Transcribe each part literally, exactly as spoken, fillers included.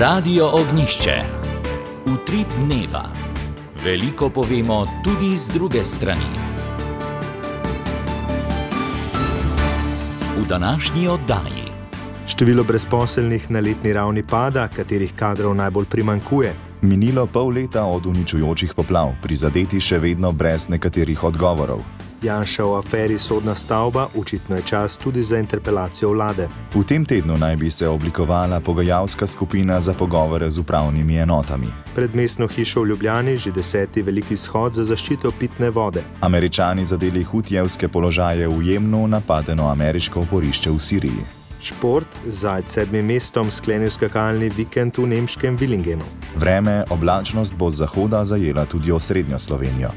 Radio Ognjišče. Utrip dneva. Veliko povemo tudi z druge strani. V današnji oddaji. Število brezposelnih na letni ravni pada, katerih kadrov najbolj primanjkuje. Minilo pol leta od uničujočih poplav, prizadeti še vedno brez nekaterih odgovorov. Janša o aferi Sodna stavba, očitno je čas tudi za interpelacijo vlade. V tem tednu naj bi se oblikovala pogajalska skupina za pogovore z upravnimi enotami. Pred mestno hišo v Ljubljani že deseti veliki shod za zaščito pitne vode. Američani zadeli hutijevske položaje v Jemnu, napadeno ameriško oporišče v Siriji. Šport, Zajc sedmim mestom sklenil skakalni vikend v nemškem Villingenu. Vreme, oblačnost bo z zahoda zajela tudi osrednjo Slovenijo.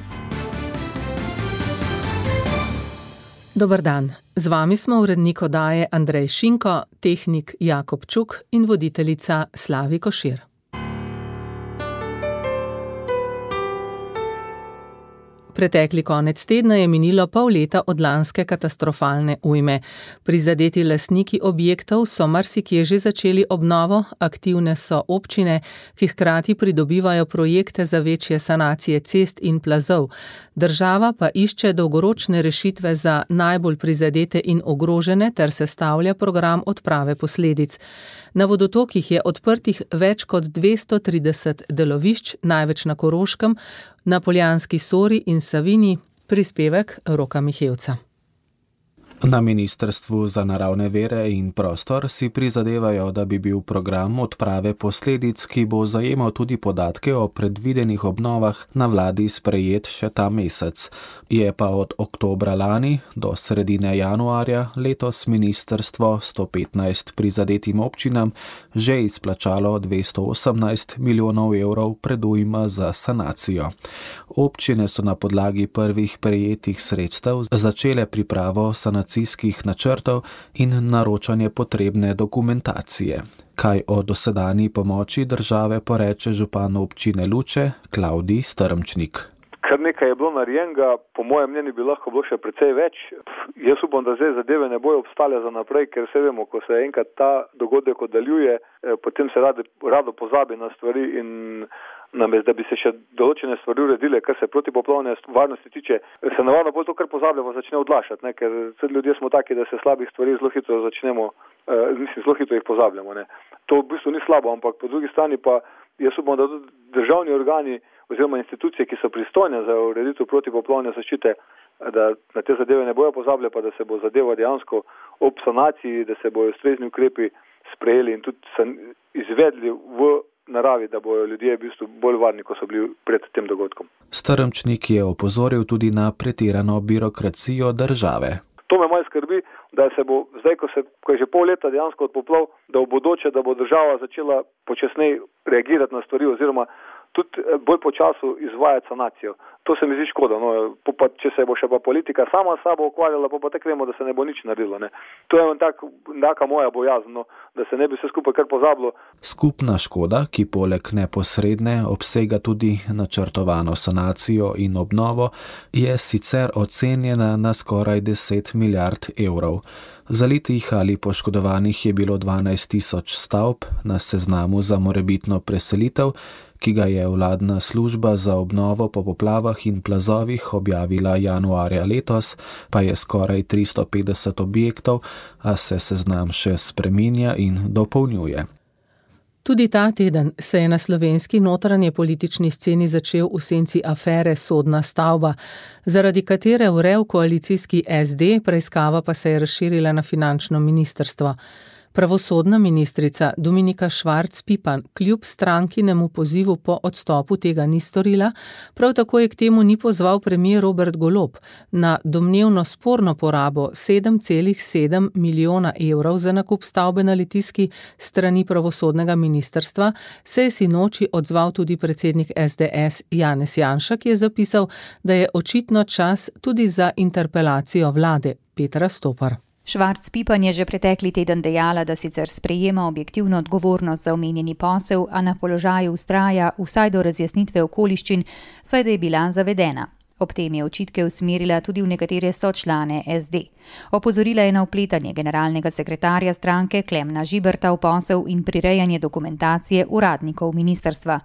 Dober dan. Z vami smo urednik oddaje Andrej Šinko, tehnik Jakob Čuk in voditeljica Slavi Košir. Pretekli konec tedna je minilo pol leta od lanske katastrofalne ujme. Prizadeti lastniki objektov so marsikje že začeli obnovo, aktivne so občine, ki hkrati pridobivajo projekte za večje sanacije cest in plazov. Država pa išče dolgoročne rešitve za najbolj prizadete in ogrožene ter sestavlja program odprave posledic. Na vodotokih je odprtih več kot dvesto trideset delovišč, največ na Koroškem, na Poljanski Sori in Savinji. Prispevek Roka Mihevca. Na Ministrstvu za naravne vire in prostor si prizadevajo, da bi bil program odprave posledic, ki bo zajemal tudi podatke o predvidenih obnovah, na vladi sprejet še ta mesec. Je pa od oktobra lani do sredine januarja letos ministrstvo sto petnajst prizadetim občinam že izplačalo dvesto osemnajst milijonov evrov predujma za sanacijo. Občine so na podlagi prvih prejetih sredstev začele pripravo sanacijskih načrtov in naročanje potrebne dokumentacije. Kaj o dosedanji pomoči države poreče župan občine Luče, Klavdij Strmčnik. Kar nekaj je bilo narejenega, po mojem mnenju bi lahko bilo še precej več. Jaz upam, da zdaj zadeve ne bojo obstale za naprej, ker se vemo, ko se enkrat ta dogodek oddaljuje, potem se rado, rado pozabi na stvari in namesto, da bi se še določene stvari uredile, kar se protipoplavne varnosti tiče, se navadno bolj to, kar pozablja, pa začne odlašati, ne? Ker ljudje smo taki, da se slabih stvari zelo hitro začnemo, eh, mislim, zelo hitro jih pozabljamo. Ne? To v bistvu ni slabo, ampak po drugi strani pa jaz upam, da tudi državni organi oziroma institucije, ki so pristojne za ureditev protipoplavne zaščite, da na te zadeve ne bojo pozabile, pa da se bo zadeva dejansko ob sanaciji, da se bojo ustrezni ukrepi sprejeli in tudi izvedli v naravi, da bojo ljudje v bistvu bolj varni, ko so bili pred tem dogodkom. Strmčnik je opozoril tudi na pretirano birokracijo države. To me malo skrbi, da se bo zdaj, ko, se, ko je že pol leta dejansko od poplav, da v bodoče, da bo država začela počasneje reagirati na stvari oziroma tudi bolj počasu izvajati sanacijo. To se mi zdi škoda. No, pa, če se bo še pa politika sama s sabo ukvarjala, pa, pa tako vemo, da se ne bo nič naredilo. Ne. To je tak, taka moja bojazen, no, da se ne bi vse skupaj kar pozabilo. Skupna škoda, ki poleg neposredne obsega tudi načrtovano sanacijo in obnovo, je sicer ocenjena na skoraj deset milijard evrov. Zalitih ali poškodovanih je bilo dvanajst tisoč stavb na seznamu za morebitno preselitev, ki ga je vladna služba za obnovo po poplavah in plazovih objavila januarja letos, pa je skoraj tristo petdeset objektov, a se seznam še spreminja in dopolnjuje. Tudi ta teden se je na slovenski notranje politični sceni začel v senci afere Sodna stavba, zaradi katere vrel koalicijski es de, preiskava pa se je razširila na finančno ministrstvo. Pravosodna ministrica Dominika Švarc Pipan kljub strankinemu pozivu po odstopu tega ni storila, prav tako je k temu ni pozval premier Robert Golob. Na domnevno sporno porabo sedem celih sedem milijona evrov za nakup stavbe na Litijski strani pravosodnega ministrstva se je sinoči odzval tudi predsednik es de es Janez Janša, ki je zapisal, da je očitno čas tudi za interpelacijo vlade. Petra Stopar. Švarc Pipan je že pretekli teden dejala, da sicer sprejema objektivno odgovornost za omenjeni posel, a na položaju vztraja vsaj do razjasnitve okoliščin, saj da je bila zavedena. Ob tem je očitke usmerila tudi v nekatere sočlane es de. Opozorila je na vpletanje generalnega sekretarja stranke Klemna Žiberta v posel in prirejanje dokumentacije uradnikov ministrstva.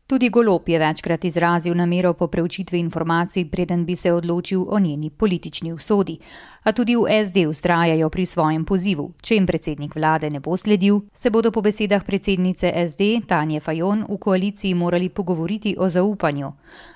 Tudi Golob je večkrat izrazil namero po preučitvi informacij, preden bi se odločil o njeni politični usodi. A tudi v es de vztrajajo pri svojem pozivu. Če jim predsednik vlade ne bo sledil, se bodo po besedah predsednice es de Tanje Fajon v koaliciji morali pogovoriti o zaupanju.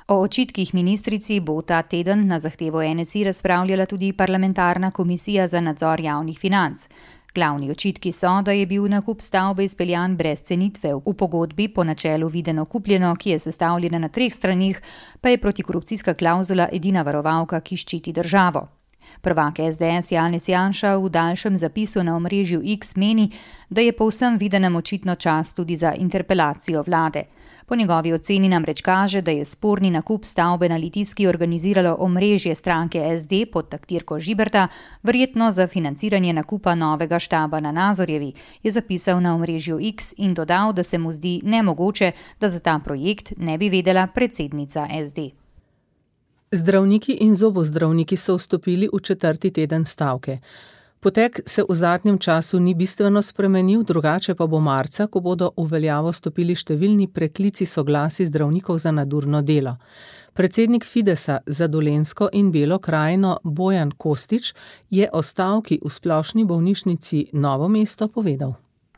O očitkih ministrici bo ta teden na zahtevo en es i razpravljala tudi parlamentarna komisija za nadzor javnih financ. Glavni očitki so, da je bil nakup stavbe izpeljan brez cenitve. V pogodbi po načelu videno kupljeno, ki je sestavljena na treh stranih, pa je protikorupcijska klavzula edina varovalka, ki ščiti državo. Prvak es de es Janez Janša v daljšem zapisu na omrežju X meni, da je po vsem videnem očitno čas tudi za interpelacijo vlade. Po njegovi oceni namreč kaže, da je sporni nakup stavbe na Litijski organiziralo omrežje stranke es de pod taktirko Žiberta, verjetno za financiranje nakupa novega štaba na Nazorjevi, je zapisal na omrežju X in dodal, da se mu zdi nemogoče, da za ta projekt ne bi vedela predsednica es de. Zdravniki in zobozdravniki so vstopili v četrti teden stavke. Potek se v zadnjem času ni bistveno spremenil, drugače pa bo marca, ko bodo v veljavo stopili številni preklici soglasij zdravnikov za nadurno delo. Predsednik Fidesa za Dolenjsko in Belo krajino Bojan Kostić je o stavki v splošni bolnišnici Novo mesto povedal.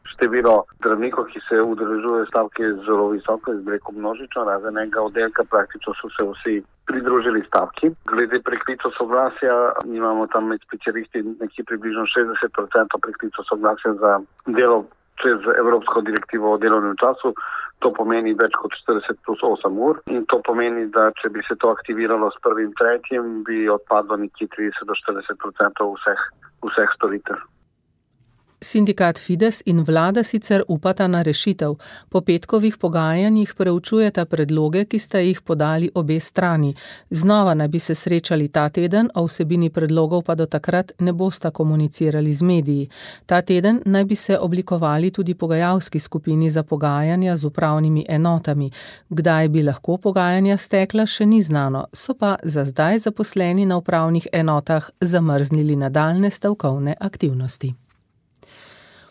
Število zdravnikov, ki se udeležujejo stavke, je zelo visoko, je zbreko množično, razen enega oddelka, praktično so se vsi pridružili stavki. Glede preklicov soglasja, imamo tam med specialisti nekje približno šestdeset procentov preklicov soglasja za delo čez Evropsko direktivo o delovnem času. To pomeni več kot štirideset plus osem ur in to pomeni, da če bi se to aktiviralo s prvim tretjim, bi odpadlo nekje trideset do štirideset procentov vseh, vseh storitev. Sindikat Fides in vlada sicer upata na rešitev. Po petkovih pogajanjih preučujeta predloge, ki sta jih podali obe strani. Znova naj bi se srečali ta teden, o vsebini predlogov pa do takrat ne bosta komunicirali z mediji. Ta teden naj bi se oblikovali tudi pogajalski skupini za pogajanja z upravnimi enotami. Kdaj bi lahko pogajanja stekla, še ni znano, so pa za zdaj zaposleni na upravnih enotah zamrznili nadaljne stavkovne aktivnosti.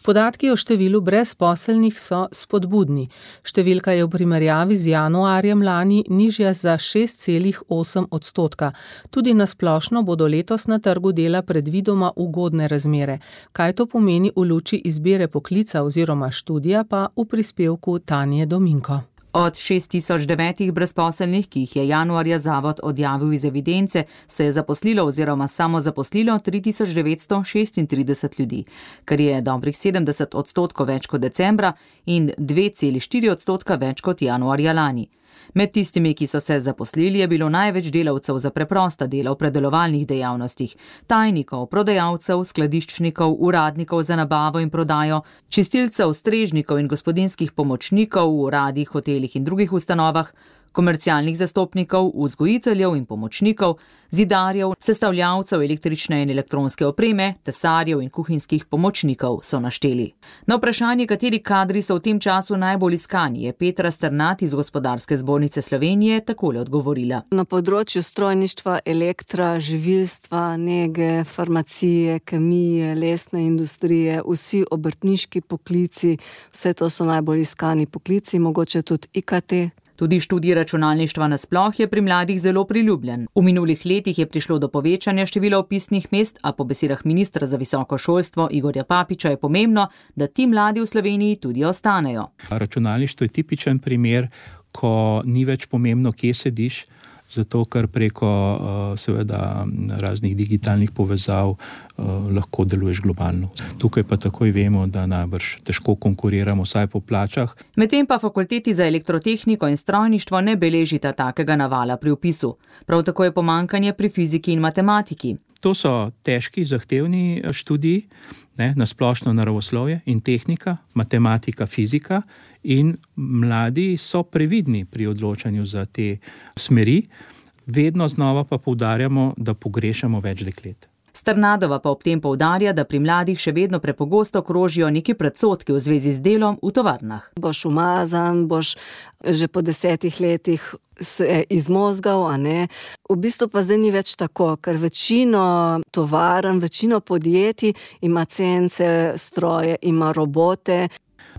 Podatki o številu brezposelnih so spodbudni. Številka je v primerjavi z januarjem lani nižja za šest celih osem odstotka. Tudi na splošno bodo letos na trgu dela predvidoma ugodne razmere. Kaj to pomeni v luči izbire poklica oziroma študija, pa v prispevku Tanje Dominko. Od šest tisoč devetih brezposelnih, ki jih je januarja zavod odjavil iz evidence, se je zaposlilo oziroma samo zaposlilo tri tisoč devetsto šestintrideset ljudi, kar je dobrih sedemdeset odstotkov več kot decembra in dve celi štiri odstotka več kot januarja lani. Med tistimi, ki so se zaposlili, je bilo največ delavcev za preprosta dela v predelovalnih dejavnostih, tajnikov, prodajalcev, skladiščnikov, uradnikov za nabavo in prodajo, čistilcev, strežnikov in gospodinjskih pomočnikov v uradih, hotelih in drugih ustanovah, komercialnih zastopnikov, vzgojiteljev in pomočnikov, zidarjev, sestavljavcev električne in elektronske opreme, tesarjev in kuhinjskih pomočnikov, so našteli. Na vprašanje, kateri kadri so v tem času najbolj iskani, je Petra Strnat iz Gospodarske zbornice Slovenije takole odgovorila. Na področju strojništva, elektra, živilstva, nege, farmacije, kemije, lesne industrije, vsi obrtniški poklici, vse to so najbolj iskani poklici, mogoče tudi I K T. Tudi študij računalništva nasploh je pri mladih zelo priljubljen. V minulih letih je prišlo do povečanja števila vpisnih mest, a po besedah ministra za visoko šolstvo Igorja Papiča je pomembno, da ti mladi v Sloveniji tudi ostanejo. Računalništvo je tipičen primer, ko ni več pomembno, kje sediš, zato ker preko seveda raznih digitalnih povezav lahko deluješ globalno. Tukaj pa takoj vemo, da najbrž težko konkuriramo, vsaj po plačah. Medtem pa fakulteti za elektrotehniko in strojništvo ne beležita takega navala pri vpisu. Prav tako je pomanjkanje pri fiziki in matematiki. To so težki, zahtevni študiji, ne, na splošno naravoslovje in tehnika, matematika, fizika, in mladi so previdni pri odločanju za te smeri. Vedno znova pa poudarjamo, da pogrešamo več deklet. Strnadova pa ob tem poudarja, da pri mladih še vedno prepogosto krožijo neki predsodki v zvezi z delom v tovarnah. Boš umazan, boš že po desetih letih se izmozgal, a ne. V bistvu pa zdaj ni več tako, ker večino tovarn, večino podjetij ima cence, stroje, ima robote.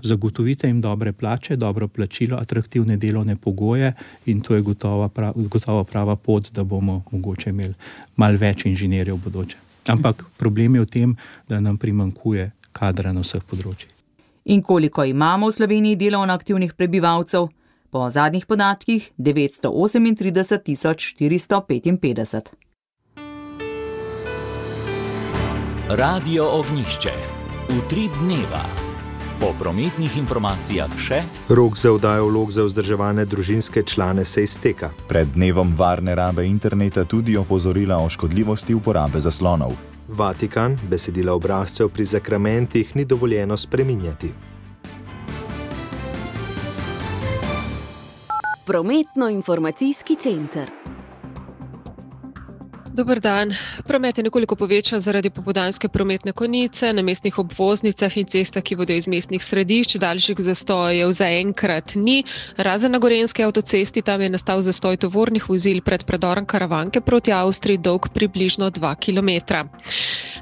Zagotovite jim dobre plače, dobro plačilo, atraktivne delovne pogoje in to je gotovo prava, gotovo prava pot, da bomo mogoče imeli malo več inženirjev v bodoče. Ampak problem je v tem, da nam primanjkuje kadra na vseh področjih. In koliko imamo v Sloveniji delovno aktivnih prebivalcev? Po zadnjih podatkih devetsto osemintrideset tisoč štiristo petinpetdeset. Radio Ognjišče. Utrip dneva. Po prometnih informacijah še. Rok za oddajo vlog za vzdrževane družinske člane se izteka. Pred dnevom varne rabe interneta tudi opozorila o škodljivosti uporabe zaslonov. Vatikan, besedila obrazcev pri zakramentih ni dovoljeno spreminjati. Prometno-informacijski center. Dober dan. Promet je nekoliko povečan zaradi popoldanske prometne konice na mestnih obvoznicah in cestah, ki vodijo iz mestnih središč. Daljših zastojev zaenkrat ni. Razen na Gorenjski avtocesti, tam je nastal zastoj tovornih vozil pred predorom Karavanke proti Avstriji, dolg približno dva kilometra.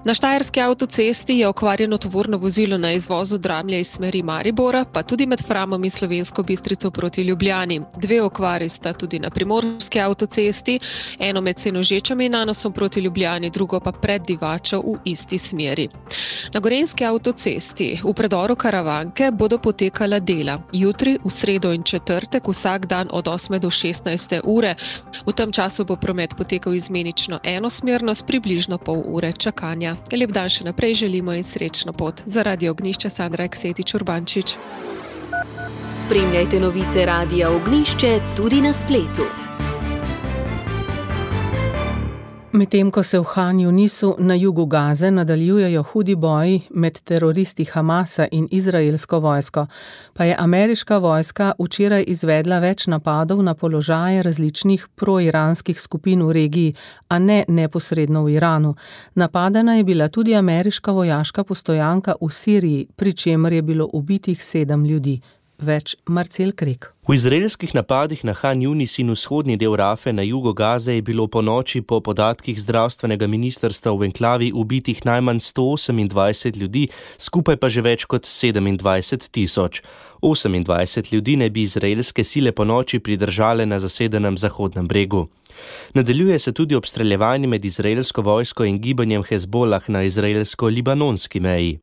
Na Štajerski avtocesti je okvarjeno tovorno vozilo na izvozu Dramlja iz smeri Maribora, pa tudi med Framom in Slovensko Bistrico proti Ljubljani. Dve okvari sta tudi na Primorski avtocesti, eno med Senožečami in Anosom proti Ljubljani, drugo pa pred Divačo v isti smeri. Na Gorenjski avtocesti v predoru Karavanke bodo potekala dela. Jutri, v sredo in četrtek, vsak dan od osme do šestnajste ure. V tem času bo promet potekal izmenično enosmerno s približno pol ure čakanja. Lep dan še naprej želimo in srečno pot. Za Radio Ognjišče Sandra Eksetič Urbančič. Spremljajte novice Radia Ognjišče tudi na spletu. Medtem ko se v Han Junisu na jugu Gaze nadaljujejo hudi boji med teroristi Hamasa in izraelsko vojsko, pa je ameriška vojska včeraj izvedla več napadov na položaje različnih proiranskih skupin v regiji, a ne neposredno v Iranu. Napadena je bila tudi ameriška vojaška postojanka v Siriji, pri čemer je bilo ubitih sedem ljudi. Več Marcel Krek. V izraelskih napadih na Han Junis in vzhodni del Rafe na jugu Gaze je bilo po noči po podatkih zdravstvenega ministrstva v enklavi ubitih najmanj sto osemindvajset ljudi, skupaj pa že več kot sedemindvajset tisoč. osemindvajset ljudi naj bi izraelske sile po noči pridržale na zasedenem Zahodnem bregu. Nadaljuje se tudi obstreljevanje med izraelsko vojsko in gibanjem Hezbolah na izraelsko-libanonski meji.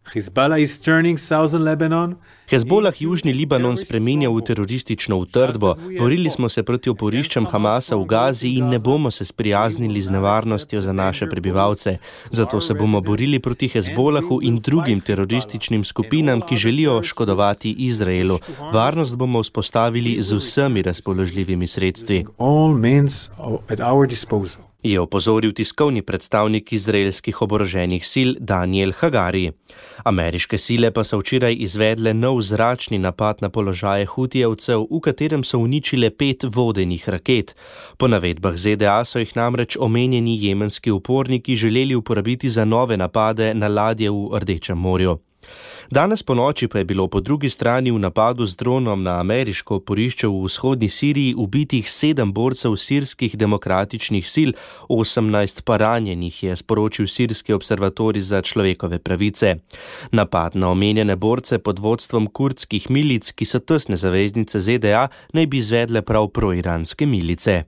Hezbolah južni Libanon spreminja v teroristično utrdbo. Borili smo se proti oporiščam Hamasa v Gazi in ne bomo se sprijaznili z nevarnostjo za naše prebivalce. Zato se bomo borili proti Hezbolahu in drugim terorističnim skupinam, ki želijo škodovati Izraelu. Varnost bomo vzpostavili z vsemi razpoložljivimi sredstvi. Je opozoril tiskovni predstavnik izraelskih oboroženih sil Daniel Hagari. Ameriške sile pa so včeraj izvedle nov zračni napad na položaje Hutijevcev, v katerem so uničile pet vodenih raket. Po navedbah Z D A so jih namreč omenjeni jemenski uporniki želeli uporabiti za nove napade na ladje v Rdečem morju. Danes po noči pa je bilo po drugi strani v napadu z dronom na ameriško oporišče v vzhodni Siriji ubitih sedem borcev sirskih demokratičnih sil, osemnajst pa ranjenih, je sporočil Sirski observatorij za človekove pravice. Napad na omenjene borce pod vodstvom kurdskih milic, ki so tesne zaveznice Z D A, naj bi izvedle prav proiranske milice.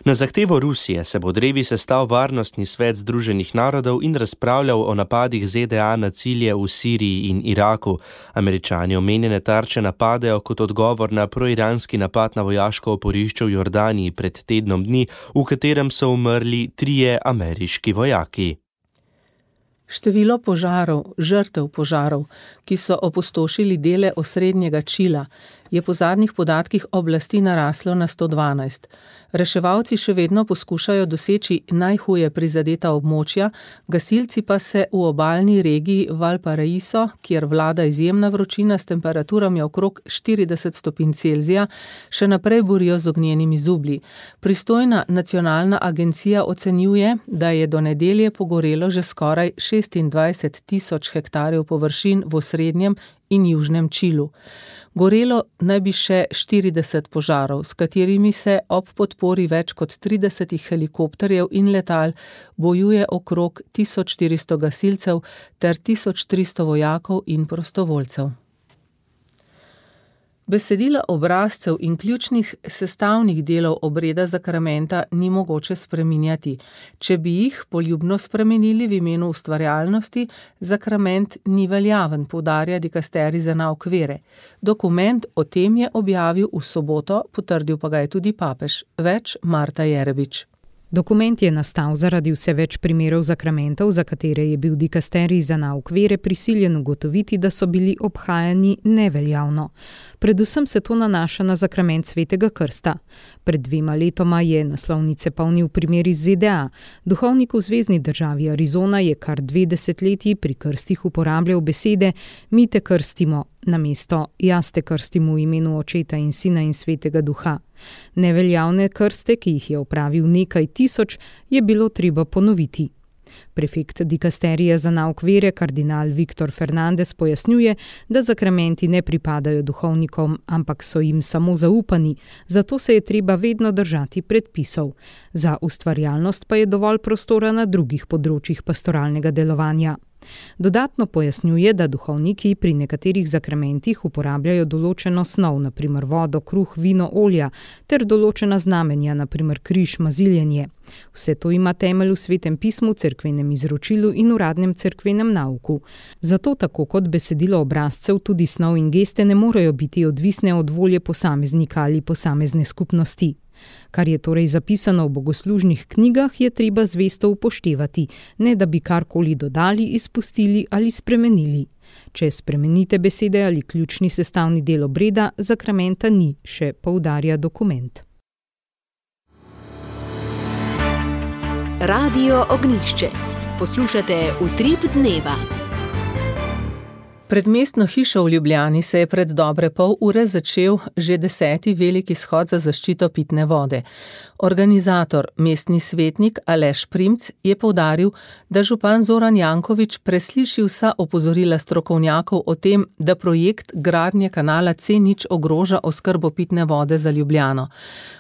Na zahtevo Rusije se bo drevi sestal Varnostni svet Združenih narodov in razpravljal o napadih Z D A na cilje v Siriji in Iraku. Američani omenjene tarče napadejo kot odgovor na proiranski napad na vojaško oporišče v Jordaniji pred tednom dni, v katerem so umrli trije ameriški vojaki. Število požarov, žrtev požarov, ki so opustošili dele osrednjega Čila, je po zadnjih podatkih oblasti naraslo na sto dvanajst. Reševalci še vedno poskušajo doseči najhuje prizadeta območja, gasilci pa se v obalni regiji Valparaíso, kjer vlada izjemna vročina s temperaturami okrog štirideset stopinj Celzija, še naprej borijo z ognjenimi zublji. Pristojna nacionalna agencija ocenjuje, da je do nedelje pogorelo že skoraj šestindvajset tisoč hektarjev površin v osrednjem in južnem Čilu. Gorelo naj bi še štirideset požarov, s katerimi se ob podpori več kot tridesetih helikopterjev in letal bojuje okrog tisoč štiristo gasilcev ter tisoč tristo vojakov in prostovoljcev. Besedila obrazcev in ključnih sestavnih delov obreda zakramenta ni mogoče spreminjati. Če bi jih poljubno spremenili v imenu ustvarjalnosti, zakrament ni veljaven, poudarja dikasterij za nauk vere. Dokument o tem je objavil v soboto, potrdil pa ga je tudi papež. Več Marta Jerebič. Dokument je nastal zaradi vse več primerov zakramentov, za katere je bil dikasterij za nauk vere prisiljen ugotoviti, da so bili obhajani neveljavno. Predvsem se to nanaša na zakrament svetega krsta. Pred dvema letoma je naslovnice polnil primer iz Z D A. Duhovnik v zvezni državi Arizona je kar dve desetletji pri krstih uporabljal besede mi te krstimo, namesto jaz te krstim v imenu Očeta in Sina in Svetega Duha. Neveljavne krste, ki jih je opravil nekaj tisoč, je bilo treba ponoviti. Prefekt dikasterija za nauk vere, kardinal Viktor Fernandez, pojasnjuje, da zakramenti ne pripadajo duhovnikom, ampak so jim samo zaupani, zato se je treba vedno držati predpisov. Za ustvarjalnost pa je dovolj prostora na drugih področjih pastoralnega delovanja. Dodatno pojasnjuje, da duhovniki pri nekaterih zakramentih uporabljajo določeno snov, na primer vodo, kruh, vino, olja, ter določena znamenja, na primer križ, maziljenje. Vse to ima temelj v Svetem pismu, cerkvenem izročilu in uradnem cerkvenem nauku. Zato tako kot besedilo obrazcev, tudi snov in geste ne morejo biti odvisne od volje posameznika ali posamezne skupnosti. Kar je torej zapisano v bogoslužnih knjigah, je treba zvesto upoštevati, ne da bi karkoli dodali, izpustili ali spremenili. Če spremenite besede ali ključni sestavni del obreda, zakramenta ni, še poudarja dokument. Radio Ognjišče. Poslušate Utrip dneva. Pred mestno hišo v Ljubljani se je pred dobre pol ure začel že deseti veliki shod za zaščito pitne vode. Organizator, mestni svetnik Aleš Primc, je poudaril, da župan Zoran Janković presliši vsa opozorila strokovnjakov o tem, da projekt gradnje kanala C nič ogroža oskrbo pitne vode za Ljubljano.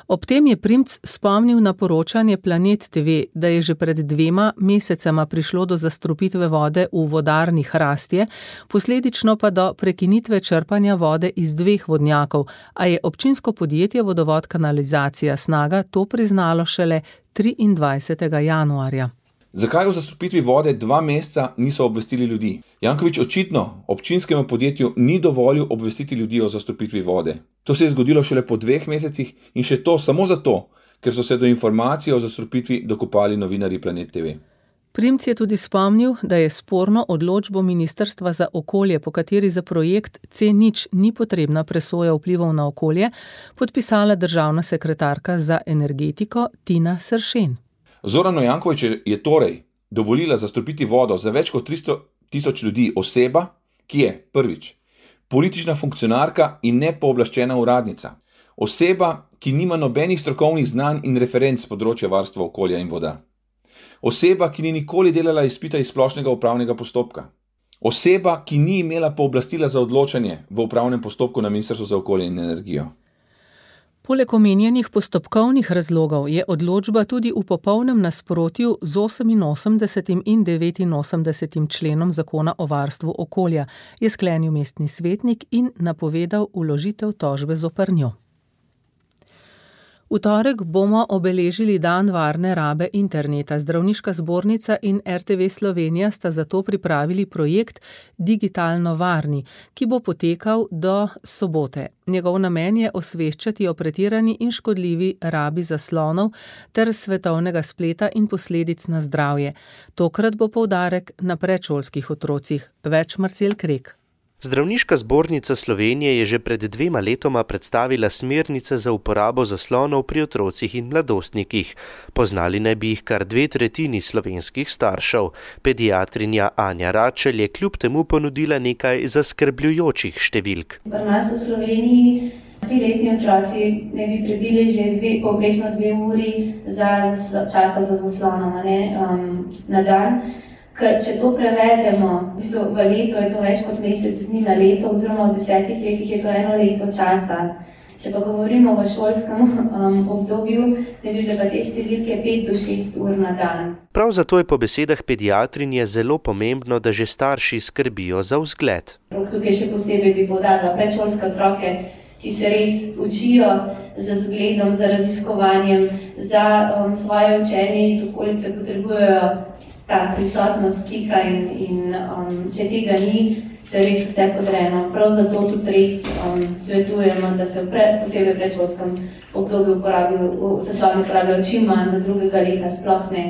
Ob tem je Primc spomnil na poročanje Planet T V, da je že pred dvema mesecema prišlo do zastrupitve vode v vodarni Hrastje, posledično pa do prekinitve črpanja vode iz dveh vodnjakov, a je občinsko podjetje Vodovod kanalizacija Snaga to priznalo šele triindvajsetega januarja. Zakaj o zastrupitvi vode dva meseca niso obvestili ljudi? Janković očitno občinskemu podjetju ni dovolil obvestiti ljudi o zastrupitvi vode. To se je zgodilo šele po dveh mesecih in še to samo zato, ker so se do informacije o zastrupitvi dokopali novinarji Planet T V. Primc je tudi spomnil, da je sporno odločbo Ministrstva za okolje, po kateri za projekt C nič ni potrebna presoja vplivov na okolje, podpisala državna sekretarka za energetiko Tina Sršen. Zoranu Jankoviću je torej dovolila zastrupiti vodo za več kot tristo tisoč ljudi oseba, ki je, prvič, politična funkcionarka in nepooblaščena uradnica. Oseba, ki nima nobenih strokovnih znanj in referenc z področja varstva okolja in voda. Oseba, ki ni nikoli delala izpita iz splošnega upravnega postopka. Oseba, ki ni imela pooblastila za odločanje v upravnem postopku na Ministrstvu za okolje in energijo. Poleg omenjenih postopkovnih razlogov je odločba tudi v popolnem nasprotju z oseminosemdesetim in devetinosemdesetim členom Zakona o varstvu okolja, je sklenil mestni svetnik in napovedal vložitev tožbe zoper njo. V torek bomo obeležili dan varne rabe interneta. Zdravniška zbornica in R T V Slovenija sta zato pripravili projekt Digitalno varni, ki bo potekal do sobote. Njegov namen je osveščati o pretirani in škodljivi rabi zaslonov ter svetovnega spleta in posledic na zdravje. Tokrat bo poudarek na predšolskih otrocih. Več Marcel Krek. Zdravniška zbornica Slovenije je že pred dvema letoma predstavila smernice za uporabo zaslonov pri otrocih in mladostnikih. Poznali naj bi jih kar dve tretjini slovenskih staršev. Pediatrinja Anja Račelj je kljub temu ponudila nekaj zaskrbljujočih številk. Pri nas v Sloveniji triletni otroci ne bi prebili že dve, povprečno dve uri za zaslo, časa za zaslonom um, na dan. Ker če to prevedemo, v, bistvu, v leto je to več kot mesec dni na leto, oziroma v desetih letih je to eno leto časa. Če pa govorimo o šolskem um, obdobju, ne bi bile pa te številke pet do šest ur na dan. Prav zato je po besedah pediatrinje zelo pomembno, da že starši skrbijo za vzgled. Tukaj še posebej bi poudarila predšolske otroke, ki se res učijo za zgledom, za raziskovanjem, za um, svoje učenje iz okolice potrebujejo ta prisotnost stika in, in um, če tega ni, se res vse podrejeno. Prav zato tudi res um, svetujemo, da se v posebej predšolskem obdobju zasloni uporabljajo čim manj, do drugega leta sploh ne.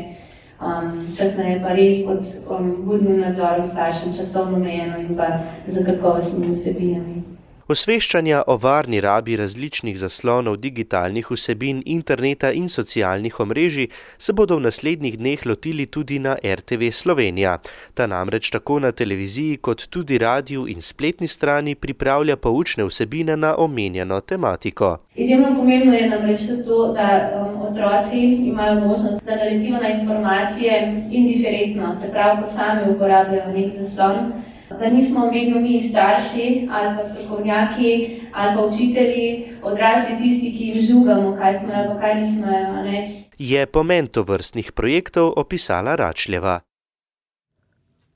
Um, kasneje pa res pod um, budnim nadzorom staršem, časovno omejeno in pa za kakovostnimi vsebinami. Osveščanja o varni rabi različnih zaslonov digitalnih vsebin, interneta in socialnih omrežij se bodo v naslednjih dneh lotili tudi na er te ve Slovenija. Ta namreč tako na televiziji kot tudi radiju in spletni strani pripravlja poučne vsebine na omenjeno tematiko. Izjemno pomembno je namreč to, da um, otroci imajo možnost, da naletijo na informacije indiferentno, se pravi, ko sami uporabljajo nek zaslon, da nismo vedno mi starši ali pa strokovnjaki ali pa učitelji, odrasli tisti, ki jim žugamo, kaj smo ali pa kaj nismo. Ne? Je pomen tovrstnih projektov opisala Račljeva.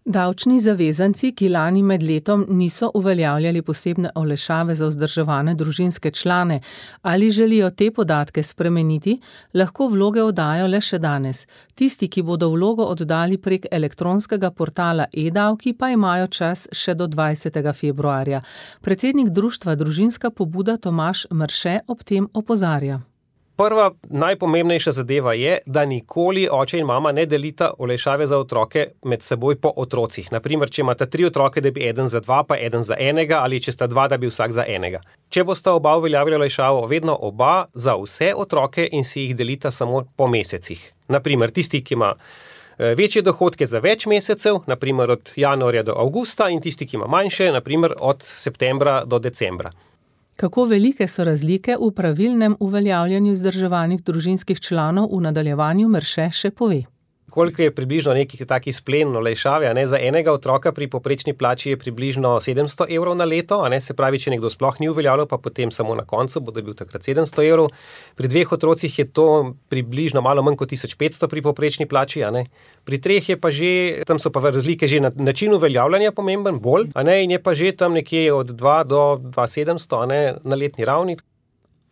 Davčni zavezanci, ki lani med letom niso uveljavljali posebne olajšave za vzdrževane družinske člane ali želijo te podatke spremeniti, lahko vloge oddajo le še danes. Tisti, ki bodo vlogo oddali prek elektronskega portala e-davki, pa imajo čas še do dvajsetega februarja. Predsednik društva Družinska pobuda Tomaž Mrše ob tem opozarja. Prva najpomembnejša zadeva je, da nikoli oče in mama ne delita olajšave za otroke med seboj po otrocih. Naprimer, če imate tri otroke, da bi eden za dva, pa eden za enega, ali če sta dva, da bi vsak za enega. Če bosta oba uveljavila olajšavo, vedno oba za vse otroke in si jih delita samo po mesecih. Naprimer, tisti, ki ima večje dohodke za več mesecev, naprimer od januarja do avgusta, in tisti, ki ima manjše, naprimer od septembra do decembra. Kako velike so razlike v pravilnem uveljavljanju vzdrževanih družinskih članov, v nadaljevanju Mrše še pove. Koliko je približno neki taki splen olajšave, a ne, za enega otroka pri povprečni plači je približno sedemsto evrov na leto, a ne, se pravi, če nekdo sploh ni uveljavljal, pa potem samo na koncu bo dobil takrat sedemsto evrov. Pri dveh otrocih je to približno malo manj kot tisoč petsto pri povprečni plači, a ne. Pri treh je pa že, tam so pa razlike že na način uveljavljanja pomemben, bolj, a ne, in je pa že tam nekje od dva do dva tisoč sedemsto, a ne, na letni ravni.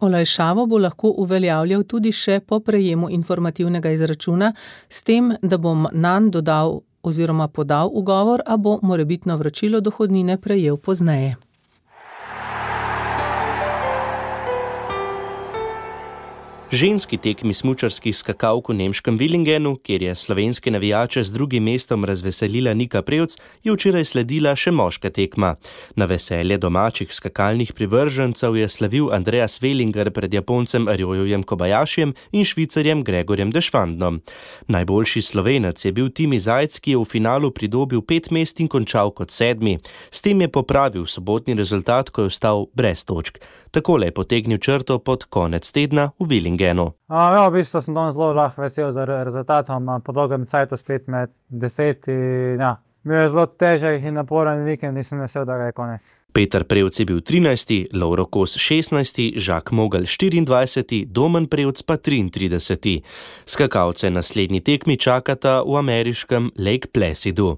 Olajšavo bo lahko uveljavljal tudi še po prejemu informativnega izračuna, s tem, da bom nanj dodal oziroma podal ugovor, a bo morebitno vračilo dohodnine prejel pozneje. Ženski tekmi smučarskih skakalk v nemškem Villingenu, kjer je slovenske navijače z drugim mestom razveselila Nika Prevc, je včeraj sledila še moška tekma. Na veselje domačih skakalnih privržencev je slavil Andreas Wellinger pred Japoncem Ryojujem Kobayashijem in Švicarjem Gregorjem Deschwandnom. Najboljši Slovenec je bil Timi Zajc, ki je v finalu pridobil pet mest in končal kot sedmi. S tem je popravil sobotni rezultat, ko je ostal brez točk. Takole je potegnil črto pod konec tedna v Villingenu. Ja, v bistvu sem danes zelo lahko vesel za rezultatom, po dolgem cajtu spet med deset. Ja. Bil je zelo težek in naporen vikend in sem vesel, da ga je konec. Peter Prevc je bil trinajsti, Lovro Kos šestnajsti, Žak Mogel štiriindvajseti, Domen Prevc pa triintrideseti. Skakalce naslednji tekmi čakata v ameriškem Lake Placidu.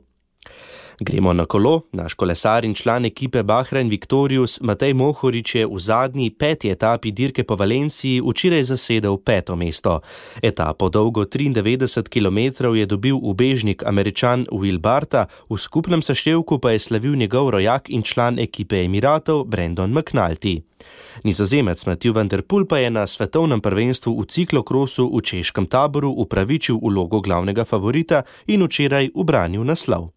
Gremo na kolo. Naš kolesar in član ekipe Bahrain Victorious Matej Mohorič je v zadnji peti etapi dirke po Valenciji včeraj zasedel peto mesto. Etapo dolgo triindevetdeset kilometrov je dobil ubežnik Američan Will Barta, v skupnem seštevku pa je slavil njegov rojak in član ekipe Emiratov Brandon McNulty. Nizozemec Mathieu van der Poel pa je na svetovnem prvenstvu v ciklokrosu v češkem Taboru upravičil vlogo glavnega favorita in včeraj ubranil naslov.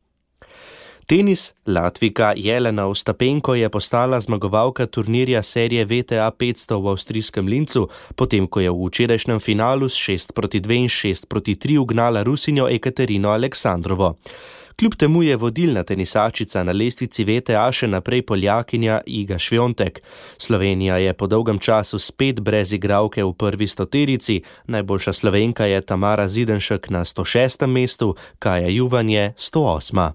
Tenis, Latvijka Jelena Ostapenko je postala zmagovalka turnirja serije V T A petsto v avstrijskem Lincu, potem ko je v včerajšnjem finalu s šest proti dve in šest proti tri ugnala Rusinjo Ekaterino Aleksandrovo. Kljub temu je vodilna tenisačica na lestvici V T A še naprej Poljakinja Iga Šviontek. Slovenija je po dolgem času spet brez igralke v prvi stoterici, najboljša Slovenka je Tamara Zidenšek na sto šestem mestu, Kaja Juvan je sto osma.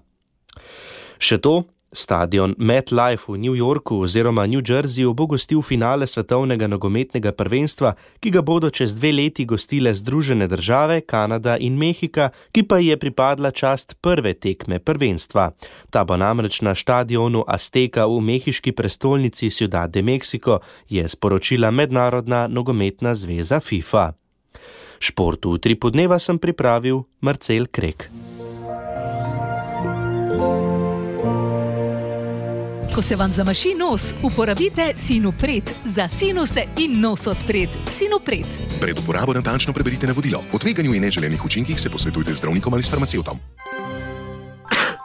Še to, stadion MetLife v New Yorku oziroma New Jerseyju bo gostil finale svetovnega nogometnega prvenstva, ki ga bodo čez dve leti gostile Združene države, Kanada in Mehika, ki pa je pripadla čast prve tekme prvenstva. Ta bo namreč na štadionu Azteca v mehiški prestolnici Ciudad de Mexico, je sporočila Mednarodna nogometna zveza FIFA. Šport v Utripu dneva sem pripravil Marcel Krek. Ko se vam zamaši nos, uporabite Sinopret za sinuse in nos odpret. Sinopret. Pred uporabo natančno preberite navodilo. O tveganju in neželenih učinkih se posvetujte z zdravnikom ali s farmacevtom.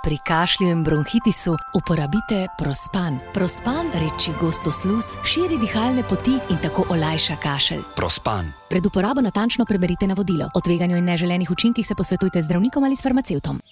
Pri kašlju in bronhitisu uporabite Prospan. Prospan reči gosto sluz, širi dihalne poti in tako olajša kašelj. Prospan. Pred uporabo natančno preberite navodilo. O tveganju in neželenih učinkih se posvetujte z zdravnikom ali s farmacevtom.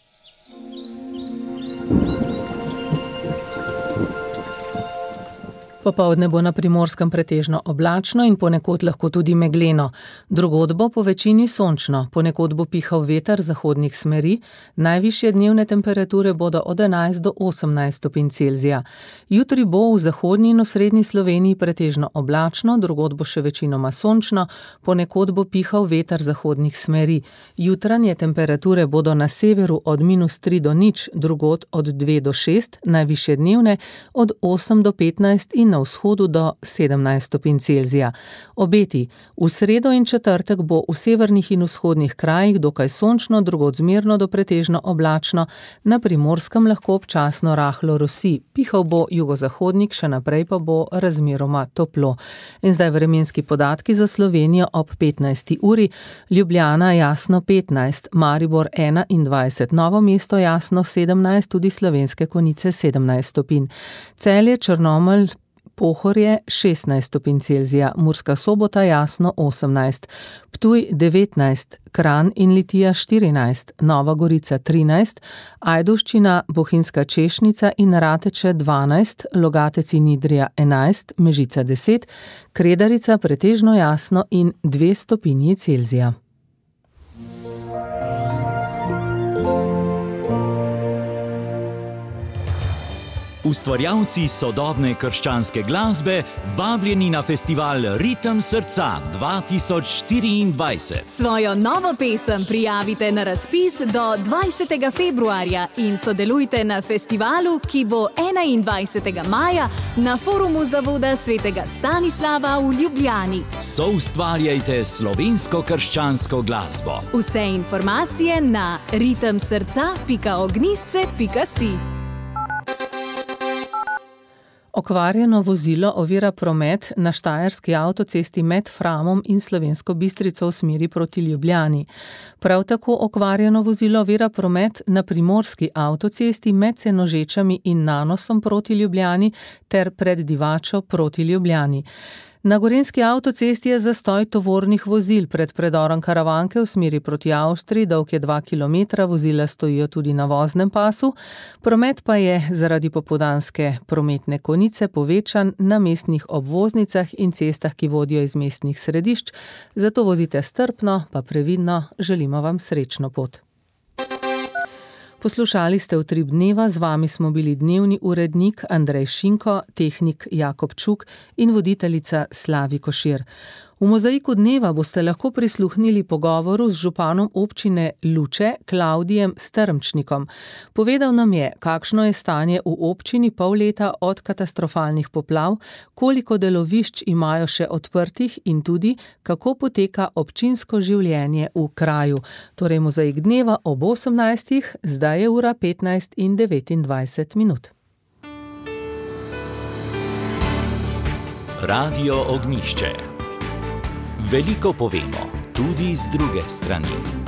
Popoldne bo na Primorskem pretežno oblačno in ponekod lahko tudi megleno. Drugod bo po večini sončno, ponekod bo pihal veter zahodnih smeri, najvišje dnevne temperature bodo od enajst do osemnajst stopinj Celzija. Jutri bo v zahodni in osrednji Sloveniji pretežno oblačno, drugod bo še večinoma sončno, ponekod bo pihal veter zahodnih smeri. Jutranje temperature bodo na severu od minus tri do nič, drugod od dve do šest, najvišje dnevne od osem do petnajst in na vzhodu do sedemnajst stopinj Celzija. Obeti. V sredo in četrtek bo v severnih in vzhodnih krajih dokaj sončno, drugod zmerno do pretežno oblačno, na Primorskem lahko občasno rahlo rosi. Pihal bo jugozahodnik, še naprej pa bo razmeroma toplo. In zdaj vremenski podatki za Slovenijo ob petnajsti uri. Ljubljana jasno petnajst, Maribor enaindvajset, Novo mesto jasno sedemnajst, tudi Slovenske Konjice sedemnajst stopinj. Celje, Črnomelj, Pohorje šestnajst stopinj Celzija, Murska Sobota jasno osemnajst, Ptuj devetnajst, Kranj in Litija štirinajst, Nova Gorica trinajst, Ajdovščina, Bohinjska Češnica in Rateče dvanajst, Logatec in Idrija enajst, Mežica deset, Kredarica pretežno jasno in dve stopinji Celzija. Ustvarjalci sodobne krščanske glasbe vabljeni na festival Ritem srca dva tisoč štiriindvajset. Svojo novo pesem prijavite na razpis do dvajsetega februarja in sodelujte na festivalu, ki bo enaindvajsetega maja na forumu Zavoda svetega Stanislava v Ljubljani. Soustvarjajte slovensko krščansko glasbo. Vse informacije na ritem srca pika ognjisce pika si. Okvarjeno vozilo ovira promet na štajerski avtocesti med Framom in Slovensko Bistrico v smeri proti Ljubljani. Prav tako okvarjeno vozilo ovira promet na primorski avtocesti med Senožečami in Nanosom proti Ljubljani ter pred Divačo proti Ljubljani. Na gorenjski avtocesti je zastoj tovornih vozil pred predorom Karavanke v smeri proti Avstriji, dolg je dva kilometra, vozila stojijo tudi na voznem pasu. Promet pa je zaradi popoldanske prometne konice povečan na mestnih obvoznicah in cestah, ki vodijo iz mestnih središč. Zato vozite strpno, pa previdno, želimo vam srečno pot. Poslušali ste Utrip dneva, z vami smo bili dnevni urednik Andrej Šinko, tehnik Jakob Čuk in voditeljica Slavi Košir. V mozaiku dneva boste lahko prisluhnili pogovoru z županom občine Luče, Klavdijem Strmčnikom. Povedal nam je, kakšno je stanje v občini pol leta od katastrofalnih poplav, koliko delovišč imajo še odprtih in tudi, kako poteka občinsko življenje v kraju. Torej mozaik dneva ob osemnajstih, zdaj je ura petnajst in devetindvajset minut. Radio Ognjišče. Veliko povemo, tudi z druge strani.